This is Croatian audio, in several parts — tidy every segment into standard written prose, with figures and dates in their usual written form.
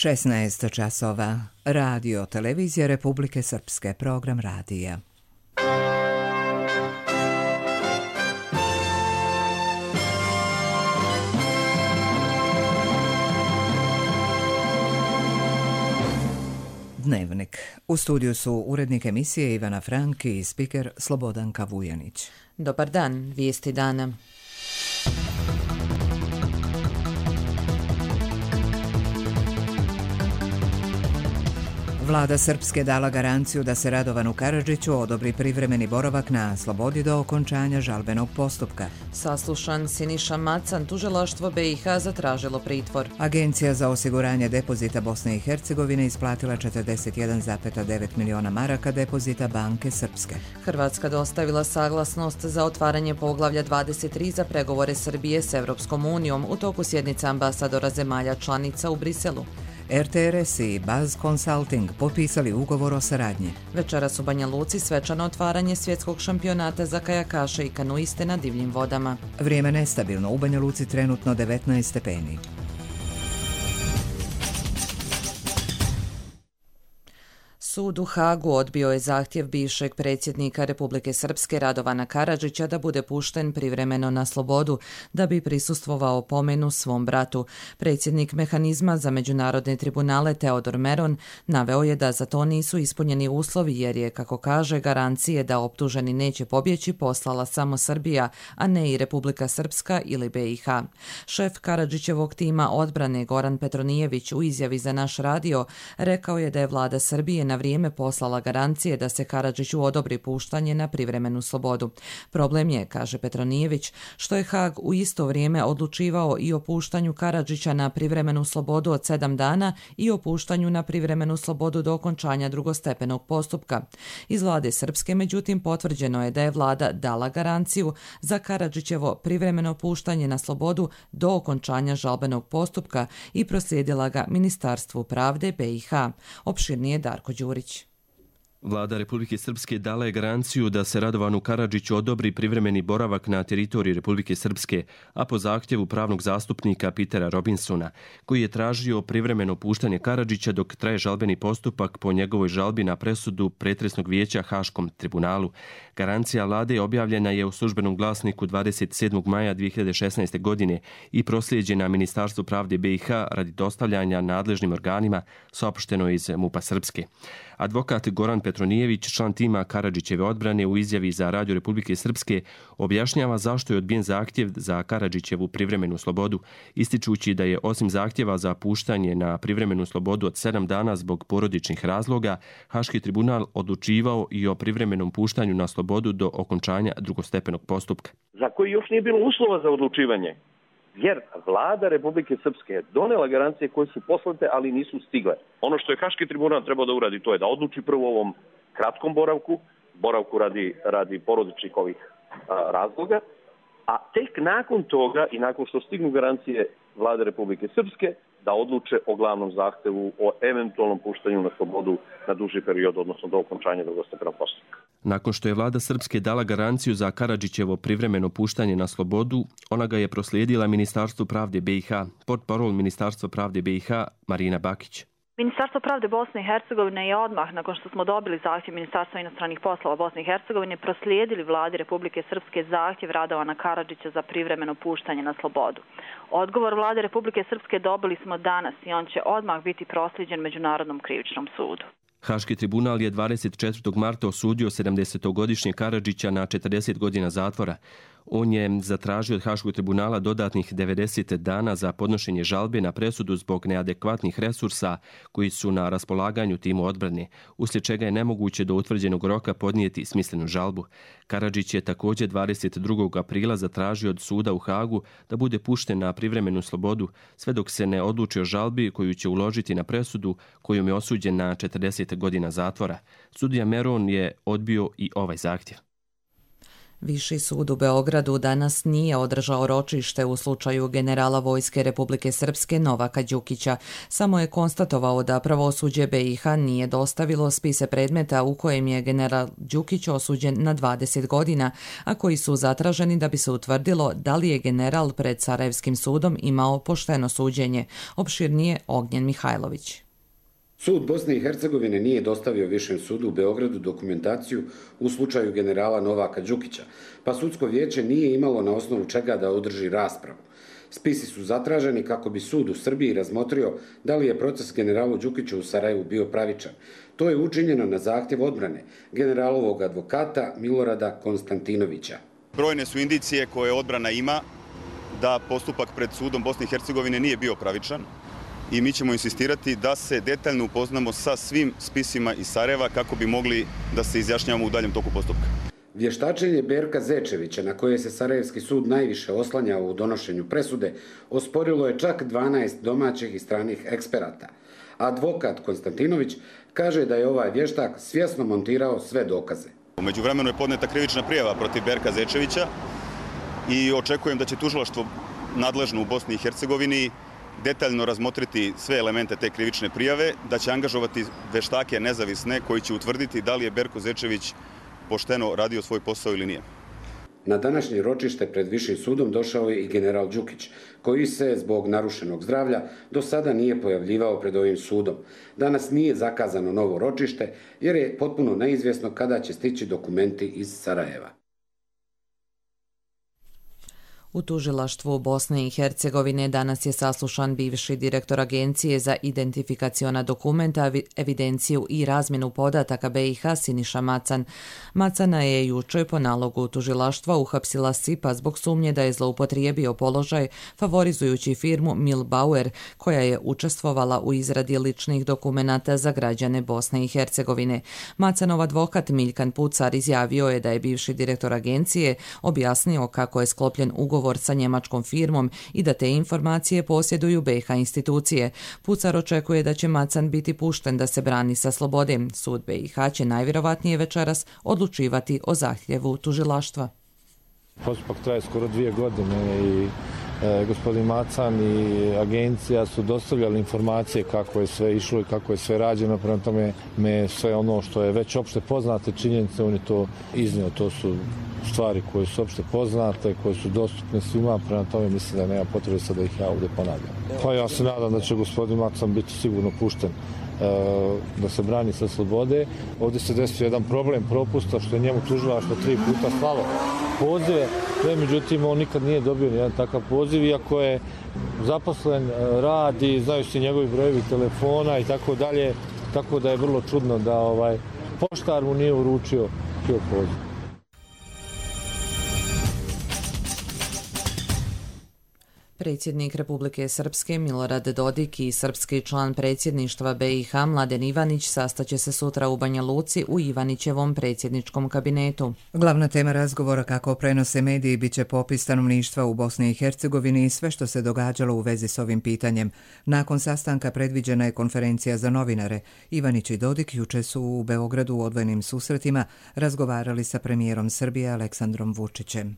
16 časova. Radio Televizija Republike Srpske. Program radija. Dnevnik. U studiju su urednik emisije Ivana Franki i spiker Slobodanka Vujanić. Dobar dan, vijesti dana. Vlada Srpske dala garanciju da se Radovanu Karadžiću odobri privremeni boravak na slobodi do okončanja žalbenog postupka. Saslušan Siniša Macan, tužilaštvo BiH zatražilo pritvor. Agencija za osiguranje depozita Bosne i Hercegovine isplatila 41,9 miliona maraka depozita Banke Srpske. Hrvatska dostavila saglasnost za otvaranje poglavlja 23 za pregovore Srbije s Evropskom unijom u toku sjednice ambasadora zemalja članica u Briselu. RTRS i Baz Consulting potpisali ugovor o saradnji. Večeras u Banja Luci svečano otvaranje svjetskog šampionata za kajakaše i kanuiste na divljim vodama. Vrijeme nestabilno, u Banja Luci trenutno 19 stepeni. Sud u Hagu odbio je zahtjev bivšeg predsjednika Republike Srpske Radovana Karadžića da bude pušten privremeno na slobodu da bi prisustvovao pomenu svom bratu. Predsjednik mehanizma za međunarodne tribunale Teodor Meron naveo je da za to nisu ispunjeni uslovi jer je, kako kaže, garancije da optuženi neće pobjeći poslala samo Srbija, a ne i Republika Srpska ili BiH. Šef Karadžićevog tima odbrane Goran Petronijević u izjavi za naš radio rekao je da je vlada Srbije na vrijeme poslala garancije da se Karadžiću odobri puštanje na privremenu slobodu. Problem je, kaže Petronijević, što je Hag u isto vrijeme odlučivao i o puštanju Karadžića na privremenu slobodu od 7 dana i o puštanju na privremenu slobodu do okončanja drugostepenog postupka. Iz vlade Srpske, međutim, potvrđeno je da je vlada dala garanciju za Karadžićevo privremeno puštanje na slobodu do okončanja žalbenog postupka i proslijedila ga Ministarstvu pravde BiH. Opširnije Darko Đurić. Vlada Republike Srpske dala je garanciju da se Radovanu Karadžiću odobri privremeni boravak na teritoriji Republike Srpske, a po zahtjevu pravnog zastupnika Petera Robinsona, koji je tražio privremeno puštanje Karadžića dok traje žalbeni postupak po njegovoj žalbi na presudu pretresnog vijeća Haškom tribunalu. Garancija vlade objavljena je u službenom glasniku 27. maja 2016. godine i proslijeđena Ministarstvu pravde BiH radi dostavljanja nadležnim organima, saopšteno iz MUP-a Srpske. Advokat Goran Petronijević, član tima Karadžićeve odbrane, u izjavi za Radio Republike Srpske objašnjava zašto je odbijen zahtjev za Karadžićevu privremenu slobodu, ističući da je osim zahtjeva za puštanje na privremenu slobodu od 7 dana zbog porodičnih razloga, Haški tribunal odlučivao i o privremenom puštanju na slobodu do okončanja drugostepenog postupka. Za koji još nije bilo uslova za odlučivanje, jer vlada Republike Srpske je donela garancije koje su poslate, ali nisu stigle. Ono što je Haški tribunal trebao da uradi, to je da odluči prvo o ovom kratkom boravku radi porodičnih ovih razloga, a tek nakon toga i nakon što stignu garancije vlade Republike Srpske, da odluče o glavnom zahtevu o eventualnom puštanju na slobodu na duži period, odnosno do okončanja drugostepenog postupka. Nakon što je vlada Srpske dala garanciju za Karadžićevo privremeno puštanje na slobodu, ona ga je proslijedila Ministarstvu pravde BiH, portparol Ministarstva pravde BiH Marina Bakić. Ministarstvo pravde Bosne i Hercegovine je odmah, nakon što smo dobili zahtjev Ministarstva inostranih poslova Bosne i Hercegovine, proslijedili vladi Republike Srpske zahtjev Radovana Karadžića za privremeno puštanje na slobodu. Odgovor vlade Republike Srpske dobili smo danas i on će odmah biti proslijeđen Međunarodnom krivičnom sudu. Haški tribunal je 24. marta osudio 70-godišnjeg Karadžića na 40 godina zatvora. On je zatražio od Haškog tribunala dodatnih 90 dana za podnošenje žalbe na presudu zbog neadekvatnih resursa koji su na raspolaganju timu odbrane, uslijed čega je nemoguće do utvrđenog roka podnijeti smislenu žalbu. Karadžić je također 22. aprila zatražio od suda u Hagu da bude pušten na privremenu slobodu, sve dok se ne odluči o žalbi koju će uložiti na presudu kojom je osuđen na 40 godina zatvora. Sudija Meron je odbio i ovaj zahtjev. Viši sud u Beogradu danas nije održao ročište u slučaju generala Vojske Republike Srpske Novaka Đukića. Samo je konstatovao da pravosuđe BiH nije dostavilo spise predmeta u kojem je general Đukić osuđen na 20 godina, a koji su zatraženi da bi se utvrdilo da li je general pred Sarajevskim sudom imao pošteno suđenje. Opširnije Ognjen Mihajlović. Sud Bosne i Hercegovine nije dostavio Višem sudu u Beogradu dokumentaciju u slučaju generala Novaka Đukića, pa sudsko vijeće nije imalo na osnovu čega da održi raspravu. Spisi su zatraženi kako bi sud u Srbiji razmotrio da li je proces generalu Đukiću u Sarajevu bio pravičan. To je učinjeno na zahtjev odbrane generalovog advokata Milorada Konstantinovića. Brojne su indicije koje odbrana ima da postupak pred sudom Bosne i Hercegovine nije bio pravičan. I mi ćemo insistirati da se detaljno upoznamo sa svim spisima iz Sarajeva kako bi mogli da se izjašnjavamo u daljem toku postupka. Vještačenje Berka Zečevića, na koje se Sarajevski sud najviše oslanjao u donošenju presude, osporilo je čak 12 domaćih i stranih eksperata. Advokat Konstantinović kaže da je ovaj vještak svjesno montirao sve dokaze. U međuvremenu je podneta krivična prijava protiv Berka Zečevića i očekujem da će tužilaštvo nadležno u Bosni i Hercegovini detaljno razmotriti sve elemente te krivične prijave, da će angažovati veštake nezavisne koji će utvrditi da li je Berko Zečević pošteno radio svoj posao ili nije. Na današnje ročište pred Višim sudom došao je i general Đukić, koji se zbog narušenog zdravlja do sada nije pojavljivao pred ovim sudom. Danas nije zakazano novo ročište jer je potpuno neizvjesno kada će stići dokumenti iz Sarajeva. U tužilaštvu Bosne i Hercegovine danas je saslušan bivši direktor Agencije za identifikaciona dokumenta, evidenciju i razmjenu podataka BiH Siniša Macan. Macana je jučer po nalogu tužilaštva uhapsila SIPA zbog sumnje da je zloupotrijebio položaj favorizujući firmu Milbauer, koja je učestvovala u izradi ličnih dokumenata za građane Bosne i Hercegovine. Macanov advokat Miljkan Pucar izjavio je da je bivši direktor agencije objasnio kako je sklopljen ugovor sa njemačkom firmom i da te informacije posjeduju BiH institucije. Pucar očekuje da će Macan biti pušten da se brani sa slobode. Sud BiH će najvjerovatnije večeras odlučivati o zahtjevu tužilaštva. Postupak traje skoro 2 godine i gospodin Macan i agencija su dostavljali informacije kako je sve išlo i kako je sve rađeno. Prema tome sve ono što je već opšte poznate činjenice, on je to iznio. To su stvari koje su opšte poznate, koje su dostupne svima. Prema tome mislim da nema potrebe sad da ih ja ovdje ponavljam. Pa ja se nadam da će gospodin Macan biti sigurno pušten da se brani sa slobode. Ovdje se desio jedan problem propusta što je njemu tužilaštvo 3 puta slalo pozive, međutim on nikad nije dobio nijedan takav poziv, iako je zaposlen, radi, znaju se njegovi brojevi telefona i tako dalje, tako da je vrlo čudno da poštar mu nije uručio poziv. Predsjednik Republike Srpske Milorad Dodik i srpski član predsjedništva BiH Mladen Ivanić sastaće se sutra u Banja Luci u Ivanićevom predsjedničkom kabinetu. Glavna tema razgovora, kako prenose mediji, biće popis stanovništva u Bosni i Hercegovini i sve što se događalo u vezi s ovim pitanjem. Nakon sastanka predviđena je konferencija za novinare. Ivanić i Dodik jučer su u Beogradu u odvojenim susretima razgovarali sa premijerom Srbije Aleksandrom Vučićem.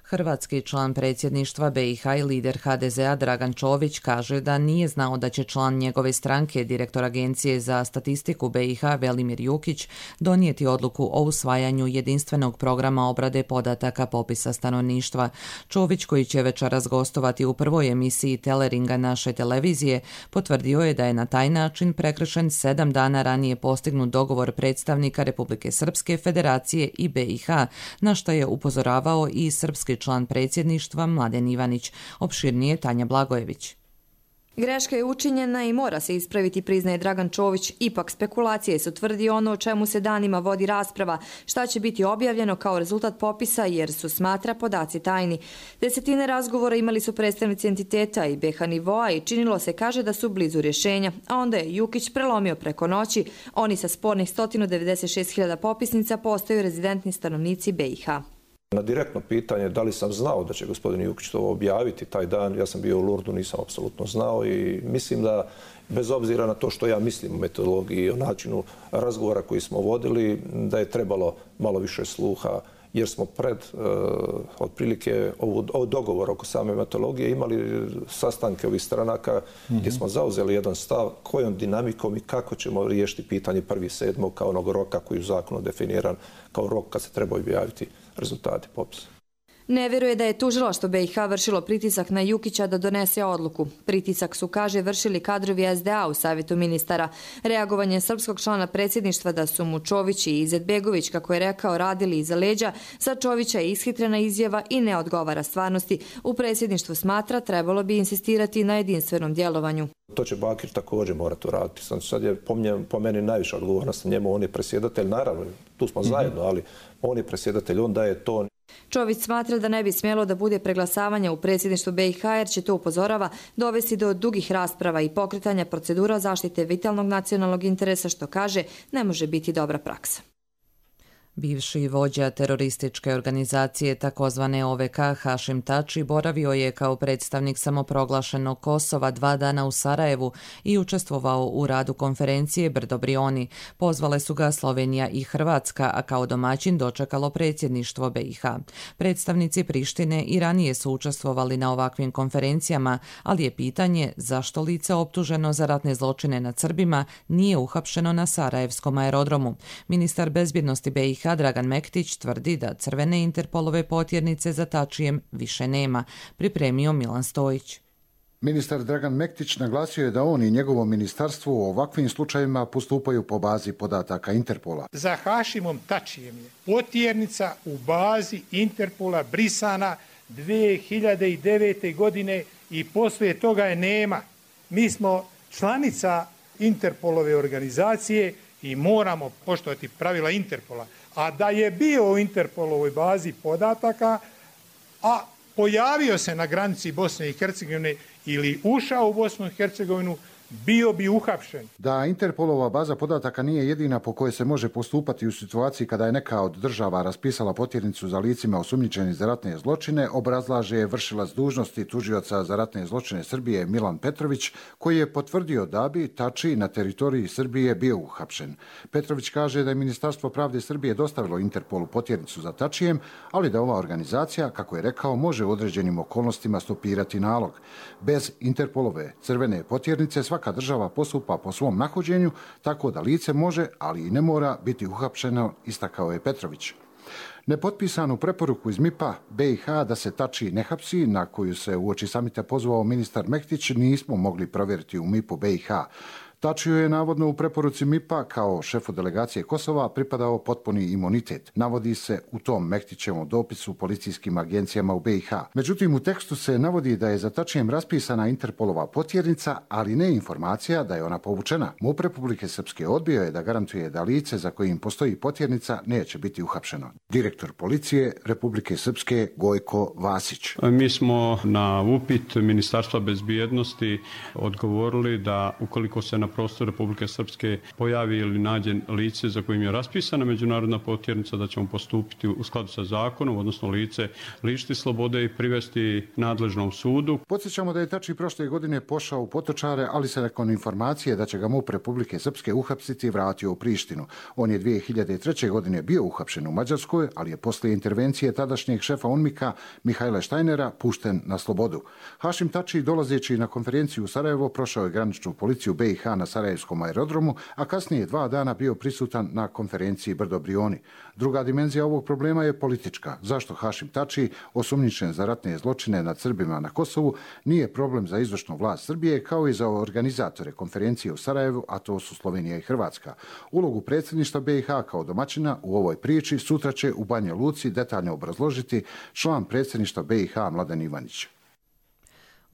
Hrvatski član predsjedništva BiH i lider HDZ-a Dragan Čović kaže da nije znao da će član njegove stranke, direktor Agencije za statistiku BiH Velimir Jukić, donijeti odluku o usvajanju jedinstvenog programa obrade podataka popisa stanovništva. Čović, koji će večeras gostovati u prvoj emisiji Teleringa naše televizije, potvrdio je da je na taj način prekršen 7 dana ranije postignut dogovor predstavnika Republike Srpske, Federacije i BiH, na što je upozoravao i srpski član predsjedništva Mladen Ivanić. Opširnije Tanja Blagojević. Greška je učinjena i mora se ispraviti, priznaje Dragan Čović. Ipak spekulacije su, tvrdi ono o čemu se danima vodi rasprava, šta će biti objavljeno kao rezultat popisa, jer su, smatra, podaci tajni. Desetine razgovora imali su predstavnici entiteta i BiH nivoa i činilo se, kaže, da su blizu rješenja. A onda je Jukić prelomio preko noći. Oni sa spornih 196.000 popisnica postaju rezidentni stanovnici BiH. Na direktno pitanje da li sam znao da će gospodin Jukić to objaviti taj dan, ja sam bio u Lurdu, nisam apsolutno znao i mislim da bez obzira na to što ja mislim o metodologiji i o načinu razgovora koji smo vodili, da je trebalo malo više sluha jer smo pred otprilike ovo dogovor oko same metodologije imali sastanke ovih stranaka gdje smo zauzeli jedan stav kojom dinamikom i kako ćemo riješiti pitanje 1.7. kao onog roka koji je u zakonu definiran kao rok kad se treba objaviti rezultati popisa. Ne vjeruje da je tužilaštvo BiH vršilo pritisak na Jukića da donese odluku. Pritisak su, kaže, vršili kadrovi SDA u Savjetu ministara. Reagovanje srpskog člana predsjedništva da su mu Čović i Izetbegović, kako je rekao, radili iza leđa, za Čovića je ishitrena izjava i ne odgovara stvarnosti. U predsjedništvu smatra trebalo bi insistirati na jedinstvenom djelovanju. To će Bakir također morati uraditi. Sad je po meni najviša odgovornost na njemu. On je predsjedatelj, naravno, tu smo zajedno, ali on je predsjedatelj, on daje ton. Čović smatra da ne bi smjelo da bude preglasavanja u predsjedništvu BiH jer će to, upozorava, dovesti do dugih rasprava i pokretanja procedura zaštite vitalnog nacionalnog interesa, što, kaže, ne može biti dobra praksa. Bivši vođa terorističke organizacije takozvane OVK Hašim Tači boravio je kao predstavnik samoproglašenog Kosova 2 dana u Sarajevu i učestvovao u radu konferencije Brdo Brioni. Pozvale su ga Slovenija i Hrvatska, a kao domaćin dočekalo predsjedništvo BiH. Predstavnici Prištine i ranije su učestvovali na ovakvim konferencijama, ali je pitanje zašto lice optuženo za ratne zločine nad Srbima nije uhapšeno na Sarajevskom aerodromu. Ministar bezbjednosti BiH Dragan Mektić tvrdi da crvene Interpolove potjernice za Tačijem više nema, pripremio Milan Stojić. Ministar Dragan Mektić naglasio je da on i njegovo ministarstvo u ovakvim slučajevima postupaju po bazi podataka Interpola. Za Hašimom Tačijem je potjernica u bazi Interpola brisana 2009. godine i poslije toga je nema. Mi smo članica Interpolove organizacije i moramo poštovati pravila Interpola. A da je bio u Interpolovoj bazi podataka, a pojavio se na granici Bosne i Hercegovine ili ušao u Bosnu i Hercegovinu, bio bi uhapšen. Da Interpolova baza podataka nije jedina po kojoj se može postupati u situaciji kada je neka od država raspisala potjernicu za licima osumnjičenih za ratne zločine, obrazlaže vršilac dužnosti tužioca za ratne zločine Srbije Milan Petrović, koji je potvrdio da bi Tači na teritoriji Srbije bio uhapšen. Petrović kaže da je Ministarstvo pravde Srbije dostavilo Interpolu potjernicu za Tačijem, ali da ova organizacija, kako je rekao, može u određenim okolnostima stopirati nalog. Bez Interpolove crvene potjernice svaka država postupa po svom nahođenju, tako da lice može, ali i ne mora biti uhapšeno, istakao je Petrović. Nepotpisanu preporuku iz MIP-a BiH da se Tači ne hapsi, na koju se uoči samita pozvao ministar Mektić, nismo mogli provjeriti u MIP-u BiH. Tačiju je navodno u preporuci MIP-a kao šefu delegacije Kosova pripadao potpuni imunitet. Navodi se u tom Mektićevom dopisu policijskim agencijama u BiH. Međutim, u tekstu se navodi da je za Tačijem raspisana Interpolova potjernica, ali ne informacija da je ona povučena. MUP Republike Srpske odbio je da garantuje da lice za kojim postoji potjernica neće biti uhapšeno. Direktor policije Republike Srpske Gojko Vasić. Mi smo na upit Ministarstva bezbjednosti odgovorili da ukoliko se na prostoru Republike Srpske pojavi ili nađe lice za kojim je raspisana međunarodna potjernica, da ćemo postupiti u skladu sa zakonom, odnosno lice lišiti slobode i privesti nadležnom sudu. Podsjećamo da je Tači prošle godine pošao u Potočare, ali se nakon informacije da će ga MUP Republike Srpske uhapsiti vratio u Prištinu. On je 2003. godine bio uhapšen u Mađarskoj, ali je poslije intervencije tadašnjeg šefa UNMIK-a Mihajla Štajnera pušten na slobodu. Hašim Tači, dolazeći na konferenciju u Sarajevo, prošao je graničnu policiju BiH na Sarajevskom aerodromu, a kasnije 2 dana bio prisutan na konferenciji Brdo Brioni. Druga dimenzija ovog problema je politička. Zašto Hašim Tači, osumnjičen za ratne zločine nad Srbima na Kosovu, nije problem za izvršnu vlast Srbije kao i za organizatore konferencije u Sarajevu, a to su Slovenija i Hrvatska. Ulogu predsjedništva BiH kao domaćina u ovoj priči sutra će u Banja Luci detaljno obrazložiti član predsjedništva BiH Mladen Ivanić.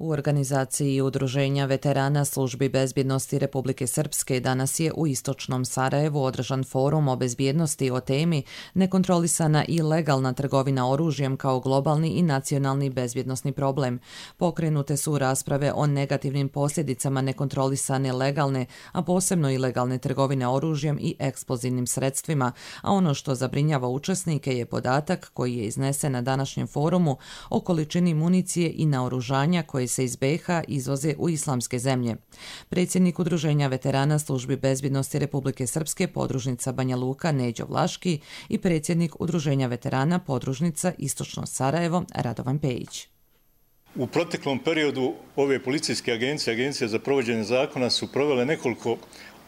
U organizaciji Udruženja veterana službi bezbjednosti Republike Srpske danas je u istočnom Sarajevu održan forum o bezbjednosti o temi nekontrolisana i legalna trgovina oružjem kao globalni i nacionalni bezbjednosni problem. Pokrenute su rasprave o negativnim posljedicama nekontrolisane legalne, a posebno ilegalne trgovine oružjem i eksplozivnim sredstvima, a ono što zabrinjava učesnike je podatak koji je iznesen na današnjem forumu o količini municije i naoružanja koje koji se iz BiH izvoze u islamske zemlje. Predsjednik Udruženja veterana službi bezbjednosti Republike Srpske podružnica Banja Luka Neđo Vlaški i predsjednik Udruženja veterana podružnica Istočno Sarajevo Radovan Pejić. U proteklom periodu ove policijske agencije za provođenje zakona su provele nekoliko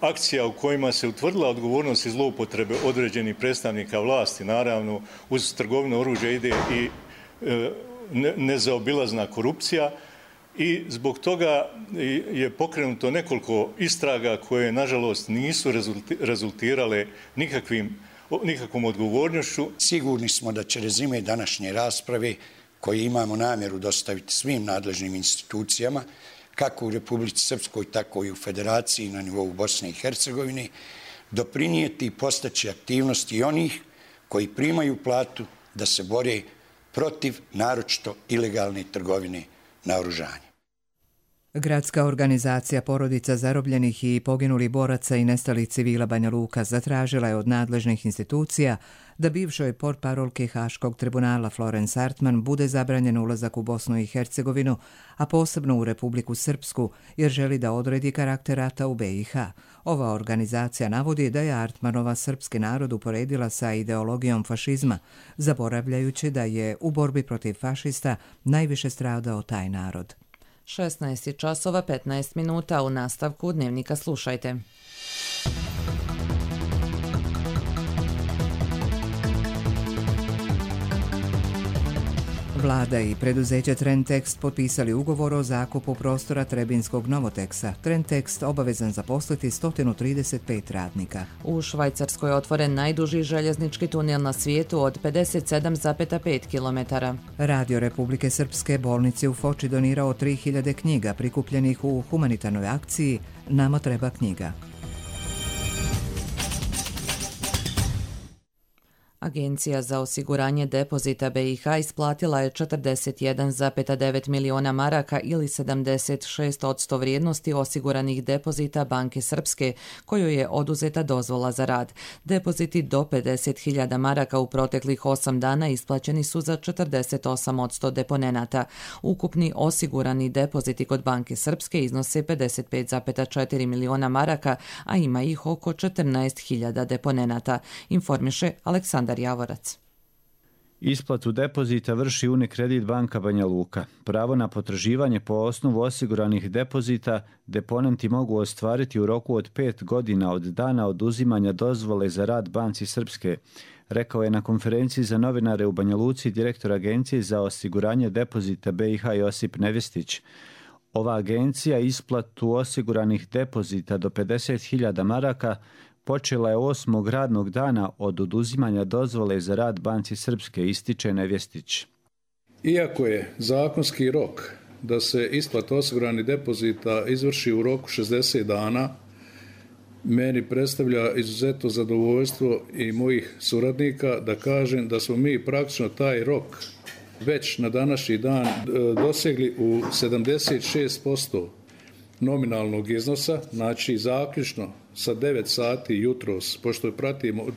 akcija u kojima se utvrdila odgovornost i zloupotrebe određenih predstavnika vlasti. Naravno, uz trgovinu oružja ide i nezaobilazna korupcija i zbog toga je pokrenuto nekoliko istraga koje, nažalost, nisu rezultirale nikakvom odgovornošću. Sigurni smo da će rezime današnje rasprave, koje imamo namjeru dostaviti svim nadležnim institucijama, kako u Republici Srpskoj, tako i u Federaciji na nivou Bosne i Hercegovine, doprinijeti i postaći aktivnosti onih koji primaju platu da se bore protiv naročito ilegalne trgovine naoružanja. Gradska organizacija porodica zarobljenih i poginulih boraca i nestalih civila Banja Luka zatražila je od nadležnih institucija da bivšoj portparolki Haškog tribunala Florence Artman bude zabranjen ulazak u Bosnu i Hercegovinu, a posebno u Republiku Srpsku, jer želi da odredi karakter rata u BiH. Ova organizacija navodi da je Artmanova srpski narod uporedila sa ideologijom fašizma, zaboravljajući da je u borbi protiv fašista najviše stradao taj narod. 16 časova 15 minuta, u nastavku Dnevnika slušajte. Vlada i preduzeće Trendtext potpisali ugovor o zakupu prostora Trebinskog Novoteksa. Trendtext obavezan zaposliti 135 radnika. U Švajcarskoj je otvoren najduži željeznički tunel na svijetu od 57,5 km. Radio Republike Srpske bolnici u Foči donirao 3000 knjiga prikupljenih u humanitarnoj akciji Nama treba knjiga. Agencija za osiguranje depozita BiH isplatila je 41,9 miliona maraka ili 76% vrijednosti osiguranih depozita Banke Srpske, kojoj je oduzeta dozvola za rad. Depoziti do 50.000 maraka u proteklih 8 dana isplaćeni su za 48% deponenata. Ukupni osigurani depoziti kod Banke Srpske iznose 55,4 miliona maraka, a ima ih oko 14.000 deponenata, informiše Aleksandar Javorac. Isplatu depozita vrši Unikredit banka Banja Luka. Pravo na potraživanje po osnovu osiguranih depozita deponenti mogu ostvariti u roku od 5 godina od dana oduzimanja dozvole za rad Banci Srpske, rekao je na konferenciji za novinare u Banja Luci direktor Agencije za osiguranje depozita BiH Josip Nevestić. Ova agencija isplatu osiguranih depozita do 50.000 maraka počela je 8. radnog dana od oduzimanja dozvole za rad Banci Srpske, ističe Nevjestić. Iako je zakonski rok da se isplata osiguranih depozita izvrši u roku 60 dana, meni predstavlja izuzetno zadovoljstvo i mojih suradnika da kažem da smo mi praktično taj rok već na današnji dan dosegli u 76% nominalnog iznosa, znači zaključno sa 9 sati jutros,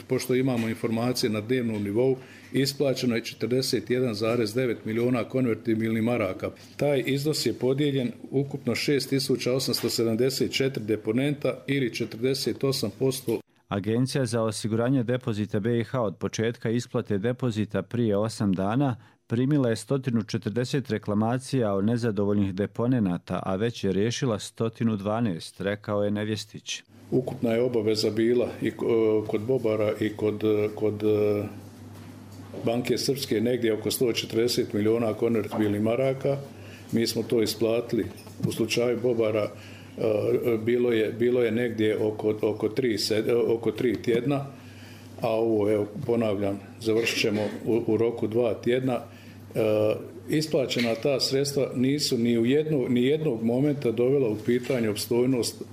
pošto imamo informacije na dnevnom nivou, isplaćeno je 41,9 miliona konvertibilnih maraka. Taj iznos je podijeljen ukupno 6.874 deponenta ili 48%. Agencija za osiguranje depozita BiH od početka isplate depozita prije 8 dana primila je 140 reklamacija o nezadovoljnih deponenata, a već je riješila 112, rekao je Nevjestić. Ukupna je obaveza bila i kod Bobara i kod Banke Srpske negdje oko 140 miliona konvertibilnih maraka. Mi smo to isplatili. U slučaju Bobara bilo je negdje oko 3 tjedna, a ovo, evo, ponavljam, završit ćemo u roku 2 tjedna. Isplaćena ta sredstva nisu ni jednog momenta dovela u pitanje opstojnost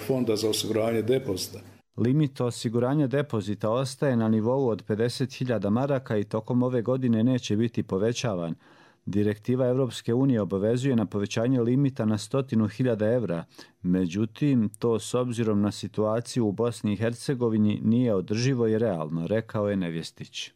Fonda za osiguranje depozita. Limit osiguranja depozita ostaje na nivou od 50.000 maraka i tokom ove godine neće biti povećavan. Direktiva Europske unije obavezuje na povećanje limita na 100.000 evra, međutim, to s obzirom na situaciju u Bosni i Hercegovini nije održivo i realno, rekao je Nevjestić.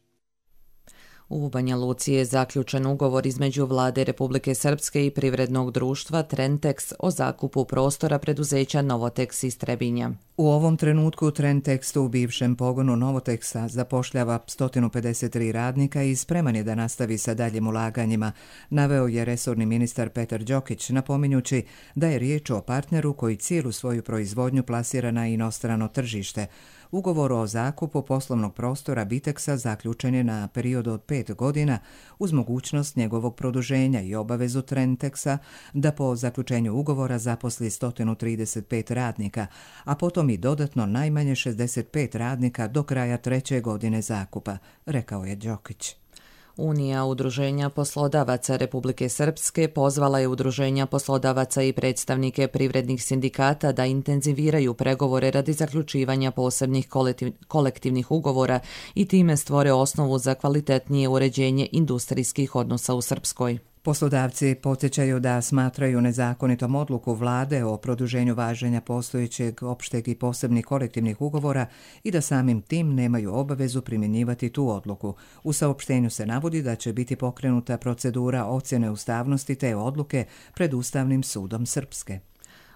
U Banja Luci je zaključen ugovor između Vlade Republike Srpske i privrednog društva Trentex o zakupu prostora preduzeća Novotex iz Trebinja. U ovom trenutku Trentex u bivšem pogonu Novotexa zapošljava 153 radnika i spreman je da nastavi sa daljim ulaganjima, naveo je resorni ministar Petar Đokić, napominjući da je riječ o partneru koji cijelu svoju proizvodnju plasira na inostrano tržište. Ugovor o zakupu poslovnog prostora Bitexa zaključen je na period od 5 godina uz mogućnost njegovog produženja i obavezu Trentexa da po zaključenju ugovora zaposli 135 radnika, a potom i dodatno najmanje 65 radnika do kraja 3. godine zakupa, rekao je Đokić. Unija udruženja poslodavaca Republike Srpske pozvala je udruženja poslodavaca i predstavnike privrednih sindikata da intenziviraju pregovore radi zaključivanja posebnih kolektivnih ugovora i time stvore osnovu za kvalitetnije uređenje industrijskih odnosa u Srpskoj. Poslodavci podsjećaju da smatraju nezakonitom odluku vlade o produženju važenja postojećeg opšteg i posebnih kolektivnih ugovora i da samim tim nemaju obavezu primjenjivati tu odluku. U saopštenju se navodi da će biti pokrenuta procedura ocjene ustavnosti te odluke pred Ustavnim sudom Srpske.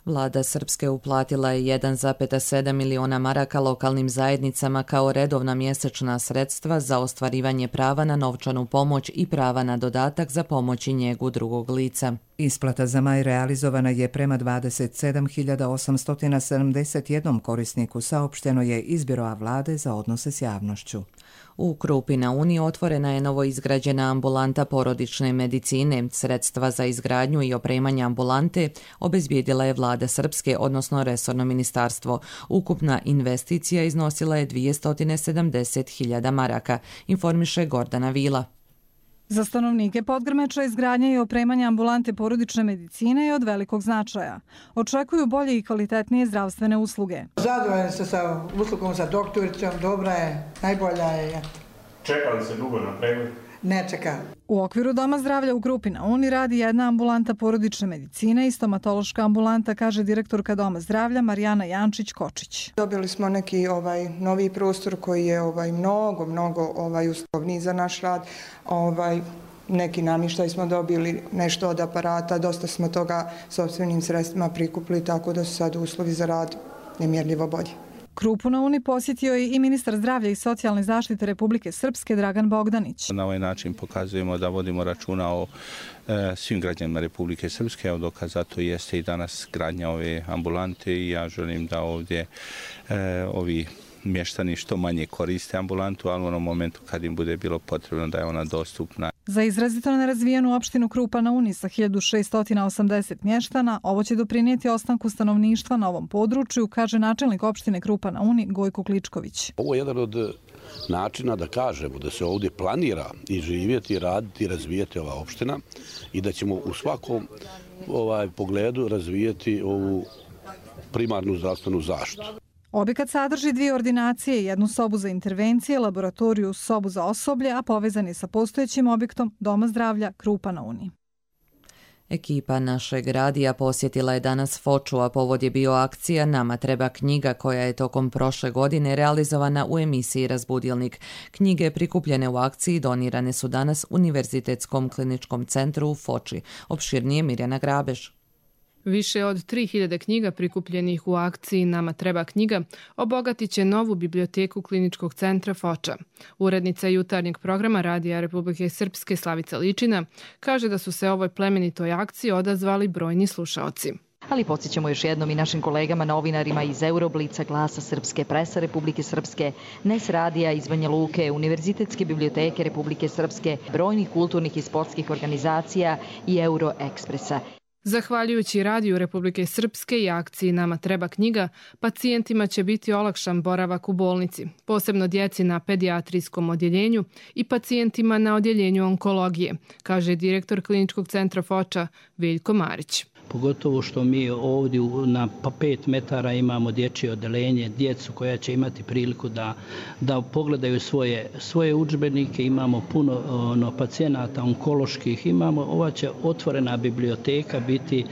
Vlada Srpske uplatila je 1,7 miliona maraka lokalnim zajednicama kao redovna mjesečna sredstva za ostvarivanje prava na novčanu pomoć i prava na dodatak za pomoć i njegu drugog lica. Isplata za maj realizovana je prema 27.871 korisniku, saopšteno je iz Biroa vlade za odnose s javnošću. U Krupi na Uni otvorena je novo izgrađena ambulanta porodične medicine. Sredstva za izgradnju i opremanje ambulante obezbijedila je vlada Srpske, odnosno resorno ministarstvo. Ukupna investicija iznosila je 270.000 maraka, informiše Gordana Vila. Za stanovnike Podgrmeča izgradnja i opremanje ambulante porodične medicine je od velikog značaja. Očekuju bolje i kvalitetnije zdravstvene usluge. Zadovoljni ste sa uslugom, sa doktoricom, dobra je, najbolja je. Čeka li se dugo na pregled? Ne čeka. U okviru Doma zdravlja u Krupi na Uni radi jedna ambulanta porodične medicine i stomatološka ambulanta, kaže direktorka Doma zdravlja Marijana Jančić-Kočić. Dobili smo neki novi prostor koji je mnogo uslovniji za naš rad. Neki namještaj smo dobili, nešto od aparata, dosta smo toga sopstvenim sredstvima prikupili, tako da su sad uslovi za rad nemjerljivo bolji. Krupu na Uni posjetio je i ministar zdravlja i socijalne zaštite Republike Srpske Dragan Bogdanić. Na ovaj način pokazujemo da vodimo računa o svim građanima Republike Srpske, a dokaz za to jeste i danas gradnja ove ambulante i ja želim da ovdje ovi mještani što manje koriste ambulantu, ali u onom momentu kad im bude bilo potrebno da je ona dostupna. Za izrazito nerazvijenu opštinu Krupa na Uni sa 1680 mještana, ovo će doprinijeti ostanku stanovništva na ovom području, kaže načelnik opštine Krupa na Uni Gojko Kličković. Ovo je jedan od načina da kažemo da se ovdje planira i živjeti, raditi i razvijati ova opština i da ćemo u svakom pogledu razvijati ovu primarnu zdravstvenu zaštitu. Objekat sadrži 2 ordinacije, jednu sobu za intervencije, laboratoriju, sobu za osoblje, a povezan je sa postojećim objektom Doma zdravlja Krupa na Uni. Ekipa našeg radija posjetila je danas Foču, a povod je bio akcija Nama treba knjiga, koja je tokom prošle godine realizovana u emisiji Razbudilnik. Knjige prikupljene u akciji donirane su danas Univerzitetskom kliničkom centru u Foči. Opširnije Mirjana Grabež. Više od 3000 knjiga prikupljenih u akciji Nama treba knjiga obogatit će novu biblioteku kliničkog centra Foča. Urednica jutarnjeg programa Radija Republike Srpske Slavica Ličina kaže da su se ovoj plemenitoj akciji odazvali brojni slušaoci. Ali podsjećamo još jednom i našim kolegama novinarima iz Euroblica, Glasa Srpske, Presa Republike Srpske, NES Radija iz Banja Luke, Univerzitetske biblioteke Republike Srpske, brojnih kulturnih i sportskih organizacija i Euroekspresa. Zahvaljujući Radiju Republike Srpske i akciji Nama treba knjiga, pacijentima će biti olakšan boravak u bolnici, posebno djeci na pedijatrijskom odjeljenju i pacijentima na odjeljenju onkologije, kaže direktor kliničkog centra Foča Veljko Marić. Pogotovo što mi ovdje na 5 metara imamo dječje odeljenje, djecu koja će imati priliku da pogledaju svoje udžbenike, imamo puno pacijenata onkoloških, ova će otvorena biblioteka biti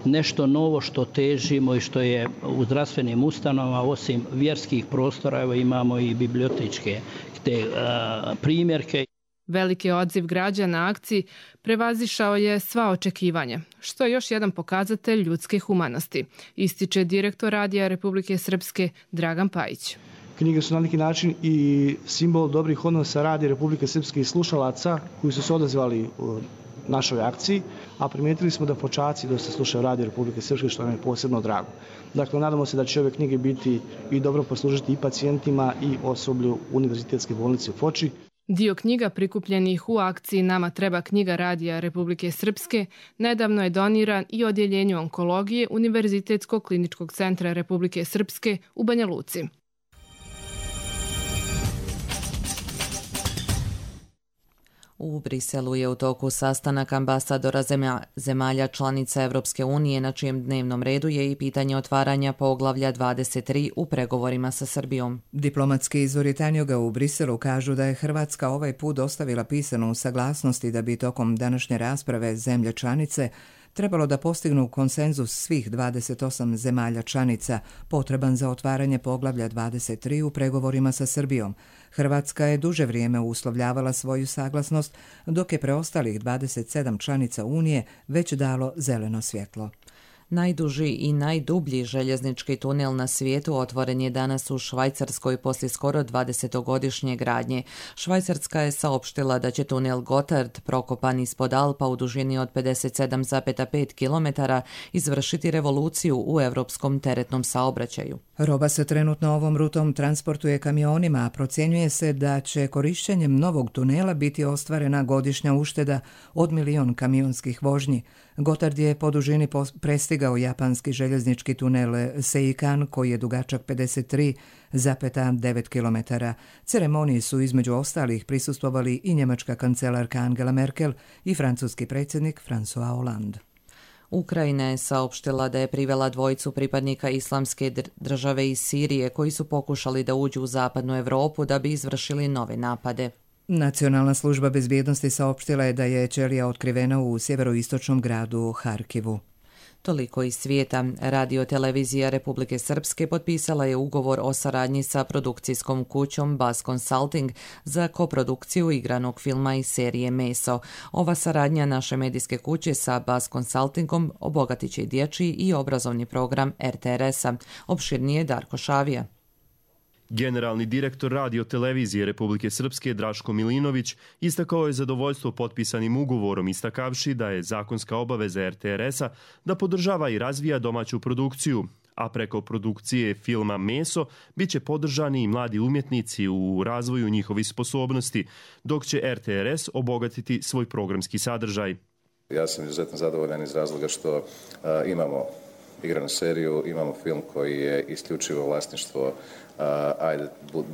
nešto novo što težimo i što je u zdravstvenim ustanovama, osim vjerskih prostora, evo imamo i bibliotečke te primjerke. Veliki odziv građana akciji prevazišao je sva očekivanja, što je još jedan pokazatelj ljudske humanosti, ističe direktor Radija Republike Srpske Dragan Pajić. Knjige su na neki način i simbol dobrih odnosa Radija Republike Srpske i slušalaca koji su se odazvali u našoj akciji, a primijetili smo da počaci dosta slušaju Radio Republike Srpske, što nam je posebno drago. Dakle, nadamo se da će ove knjige biti i dobro poslužiti i pacijentima i osoblju Univerzitetske bolnice u Foči. Dio knjiga prikupljenih u akciji Nama treba knjiga Radija Republike Srpske nedavno je doniran i odjeljenju onkologije Univerzitetskog kliničkog centra Republike Srpske u Banja Luci. U Briselu je u toku sastanak ambasadora zemalja članica Evropske unije, na čijem dnevnom redu je i pitanje otvaranja poglavlja 23 u pregovorima sa Srbijom. Diplomatski izvori Tanjuga u Briselu kažu da je Hrvatska ovaj put dostavila pisanu saglasnosti da bi tokom današnje rasprave zemlje članice trebalo da postignu konsenzus svih 28 zemalja članica potreban za otvaranje poglavlja 23 u pregovorima sa Srbijom. Hrvatska je duže vrijeme uslovljavala svoju saglasnost, dok je preostalih 27 članica Unije već dalo zeleno svjetlo. Najduži i najdublji željeznički tunel na svijetu otvoren je danas u Švajcarskoj poslije skoro 20-godišnje gradnje. Švajcarska je saopštila da će tunel Gotthard, prokopan ispod Alpa u dužini od 57,5 km, izvršiti revoluciju u europskom teretnom saobraćaju. Roba se trenutno ovom rutom transportuje kamionima, a procjenjuje se da će korišćenjem novog tunela biti ostvarena godišnja ušteda od 1 milion kamionskih vožnji. Gotthard je po dužini prestigao japanski željeznički tunel Seikan, koji je dugačak 53,9 km. Ceremoniji su između ostalih prisustvovali i njemačka kancelarka Angela Merkel i francuski predsjednik François Hollande. Ukrajina je saopštila da je privela dvojicu pripadnika Islamske države iz Sirije koji su pokušali da uđu u zapadnu Europu da bi izvršili nove napade. Nacionalna služba bezbjednosti saopštila je da je ćelija otkrivena u sjeveroistočnom gradu Harkivu. Toliko iz svijeta. Radio-televizija Republike Srpske potpisala je ugovor o saradnji sa produkcijskom kućom Buzz Consulting za koprodukciju igranog filma i serije Meso. Ova saradnja naše medijske kuće sa Buzz Consultingom obogatit će dječji i obrazovni program RTRS-a. Opširnije Darko Šavija. Generalni direktor Radio-televizije Republike Srpske Draško Milinović istakao je zadovoljstvo potpisanim ugovorom, istakavši da je zakonska obaveza RTRS-a da podržava i razvija domaću produkciju, a preko produkcije filma Meso bit će podržani i mladi umjetnici u razvoju njihovih sposobnosti, dok će RTRS obogatiti svoj programski sadržaj. Ja sam izuzetno zadovoljan iz razloga što imamo igranu seriju, imamo film koji je isključivo vlasništvo, ajde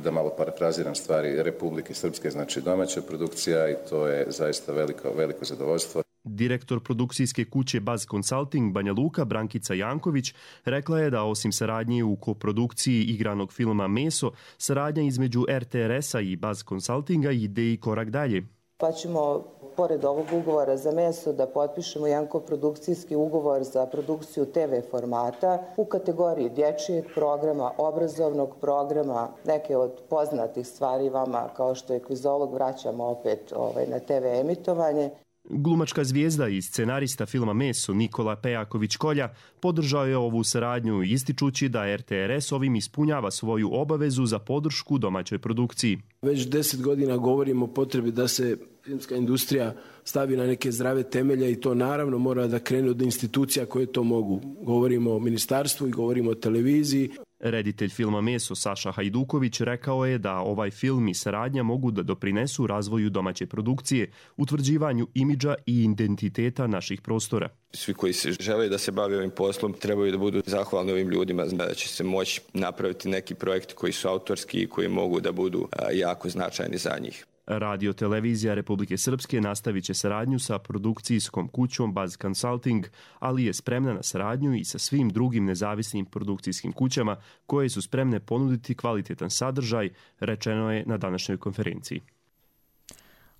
da malo parafraziram stvari, Republike Srpske, znači domaća produkcija, i to je zaista veliko zadovoljstvo. Direktor produkcijske kuće Buzz Consulting Banja Luka Brankica Janković rekla je da osim saradnje u koprodukciji igranog filma Meso, saradnja između RTRS-a i Buzz Consultinga ide i korak dalje. Pa ćemo, pored ovog ugovora za Meso, da potpišemo jedan koprodukcijski ugovor za produkciju TV formata u kategoriji dječjeg programa, obrazovnog programa, neke od poznatih stvari vama kao što je Kvizolog vraćamo opet na TV emitovanje. Glumačka zvijezda i scenarista filma Meso Nikola Pejaković-Kolja podržao je ovu saradnju, ističući da RTRS ovim ispunjava svoju obavezu za podršku domaćoj produkciji. Već 10 godina govorimo o potrebi da se filmska industrija stavi na neke zdrave temelje i to naravno mora da krene od institucija koje to mogu. Govorimo o ministarstvu i govorimo o televiziji. Reditelj filma Meso Saša Hajduković rekao je da ovaj film i saradnja mogu da doprinesu razvoju domaće produkcije, utvrđivanju imidža i identiteta naših prostora. Svi koji se žele da se bave ovim poslom trebaju da budu zahvalni ovim ljudima, da će se moći napraviti neki projekti koji su autorski i koji mogu da budu jako značajni za njih. Radio-televizija Republike Srpske nastavit će saradnju sa produkcijskom kućom Buzz Consulting, ali je spremna na saradnju i sa svim drugim nezavisnim produkcijskim kućama koje su spremne ponuditi kvalitetan sadržaj, rečeno je na današnjoj konferenciji.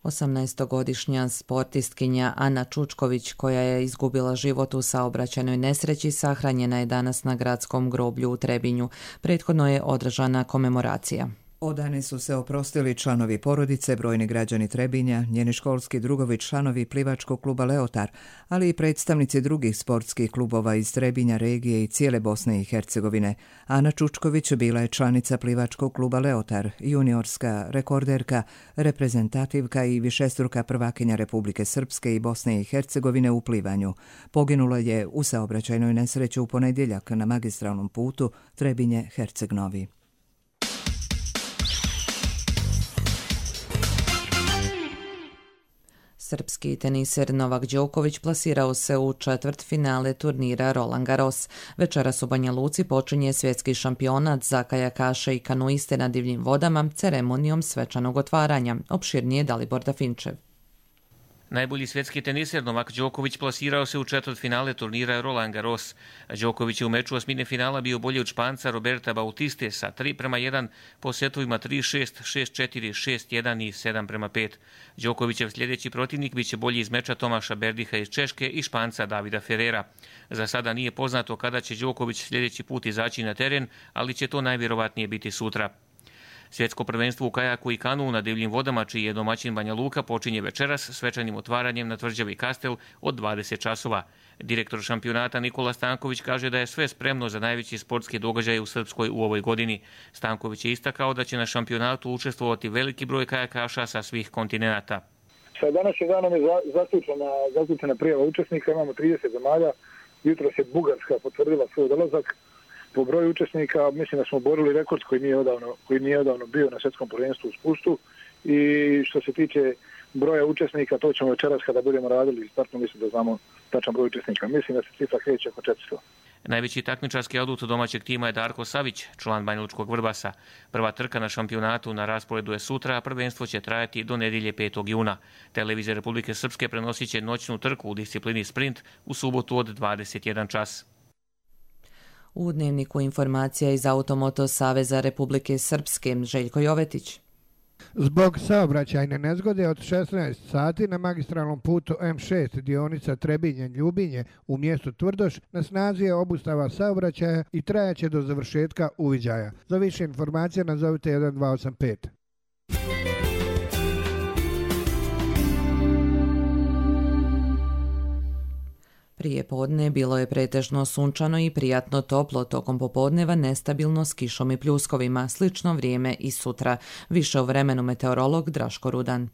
18-godišnja sportistkinja Ana Čučković, koja je izgubila život u saobraćajnoj nesreći, sahranjena je danas na gradskom groblju u Trebinju. Prethodno je održana komemoracija. Odane su se oprostili članovi porodice, brojni građani Trebinja, njeni školski drugovi, članovi plivačkog kluba Leotar, ali i predstavnici drugih sportskih klubova iz Trebinja, regije i cijele Bosne i Hercegovine. Ana Čučković bila je članica plivačkog kluba Leotar, juniorska rekorderka, reprezentativka i višestruka prvakinja Republike Srpske i Bosne i Hercegovine u plivanju. Poginula je u saobraćajnoj nesreći u ponedjeljak na magistralnom putu Trebinje-Herceg-Novi. Srpski teniser Novak Đoković plasirao se u četvrtfinale turnira Roland Garros. Večeras u Banja Luci počinje svjetski šampionat za kajakaše i kanuiste na divljim vodama ceremonijom svečanog otvaranja. Opširnije Dalibor Dafinčev. Najbolji svjetski teniser Novak Đoković plasirao se u četvrtfinale turnira Roland Garros. Đoković je u meču osmine finala bio bolji od Španca Roberta Bautiste sa 3:1 po setovima 3-6, 6-4, 6-1 i 7:5. Đokovićev sljedeći protivnik biće bolji iz meča Tomaša Berdiha iz Češke i Španca Davida Ferrera. Za sada nije poznato kada će Đoković sljedeći put izaći na teren, ali će to najvjerovatnije biti sutra. Svjetsko prvenstvo u kajaku i kanu na divljim vodama, čiji je domaćin Banja Luka, počinje večeras svečanim otvaranjem na tvrđavi Kastel od 20 časova. Direktor šampionata Nikola Stanković kaže da je sve spremno za najveći sportski događaj u Srpskoj u ovoj godini. Stanković je istakao da će na šampionatu učestvovati veliki broj kajakaša sa svih kontinenata. Sa današnjim danom je zaključena prijava učesnika, imamo 30 zemalja, jutros je Bugarska potvrdila svoj dolazak. Po broju učesnika mislim da smo borili rekord koji nije odavno bio na svjetskom prvenstvu u spustu i što se tiče broja učesnika, to ćemo večeras kada budemo radili startno, mislim da znamo tačan broj učesnika. Mislim da se cifra kreće oko 400. Najveći takmičarski adut domaćeg tima je Darko Savić, član banjalučkog Vrbasa. Prva trka na šampionatu na rasporedu je sutra, a prvenstvo će trajati do nedjelje 5. juna. Televizija Republike Srpske prenosit će noćnu trku u disciplini sprint u subotu od 21 čas. U Dnevniku informacija iz Automoto Saveza Republike Srpske, Željko Jovetić. Zbog saobraćajne nezgode od 16 sati na magistralnom putu M6 dionica Trebinje-Ljubinje u mjestu Tvrdoš na snazi je obustava saobraćaja i trajaće do završetka uviđaja. Za više informacija nazovite 1285. Prije podne bilo je pretežno sunčano i prijatno toplo, tokom popodneva nestabilno s kišom i pljuskovima, slično vrijeme i sutra. Više o vremenu meteorolog Draško Rudan.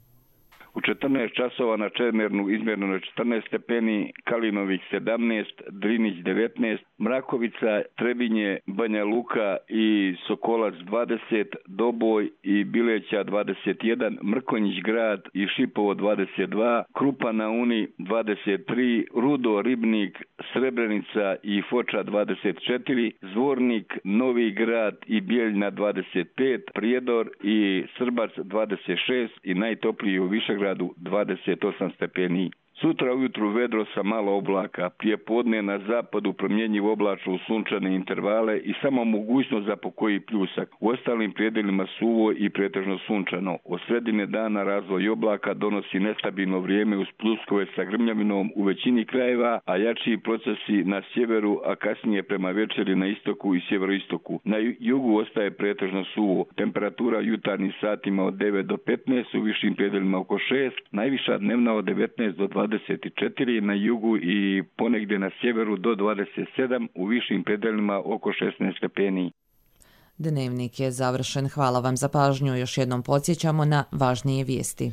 U 14 časova na Čemernu izmjereno je 14 stepeni, Kalinovih 17, Drinić 19, Mrakovica, Trebinje, Banja Luka i Sokolac 20, Doboj i Bileća 21, Mrkonjić grad i Šipovo 22, Krupa na Uni 23, Rudo, Ribnik, Srebrenica i Foča 24, Zvornik, Novi grad i Bijeljna 25, Prijedor i Srbac 26 i najtopliji u Višegradu 28 stepeni. Sutra ujutru vedro sa malo oblaka, prije podne na zapadu promjenjiv oblačno u sunčane intervale i samo mogućnost za pokoji pljusak. U ostalim predjelima suvo i pretežno sunčano. Od sredine dana razvoj oblaka donosi nestabilno vrijeme uz pljuskove sa grmljavinom u većini krajeva, a jačiji procesi na sjeveru, a kasnije prema večeri na istoku i sjeveroistoku. Na jugu ostaje pretežno suvo. Temperatura jutarnjim satima od 9 do 15, u višim predjelima oko 6, najviša dnevna od 19 do 24 na jugu i ponegdje na sjeveru do 27, u višim predelima oko 16 stepeni. Dnevnik je završen. Hvala vam za pažnju. Još jednom podsjećamo na važnije vijesti.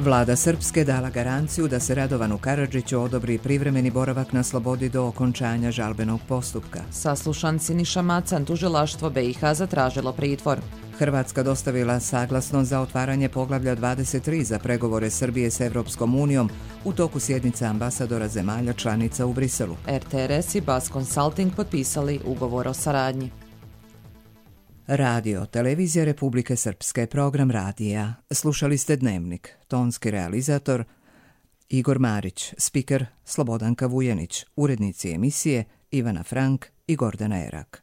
Vlada Srpske dala garanciju da se Radovanu Karadžiću odobri privremeni boravak na slobodi do okončanja žalbenog postupka. Saslušan Siniša Macan, tužilaštvo BiH zatražilo pritvor. Hrvatska dostavila saglasnost za otvaranje poglavlja 23 za pregovore Srbije s Evropskom unijom u toku sjednice ambasadora zemalja članica u Briselu. RTRS i Bas Consulting potpisali ugovor o saradnji. Radio, televizija Republike Srpske, program radija. Slušali ste Dnevnik, tonski realizator Igor Marić, spiker Slobodanka Vujanić, urednici emisije Ivana Frank i Gordana Erak.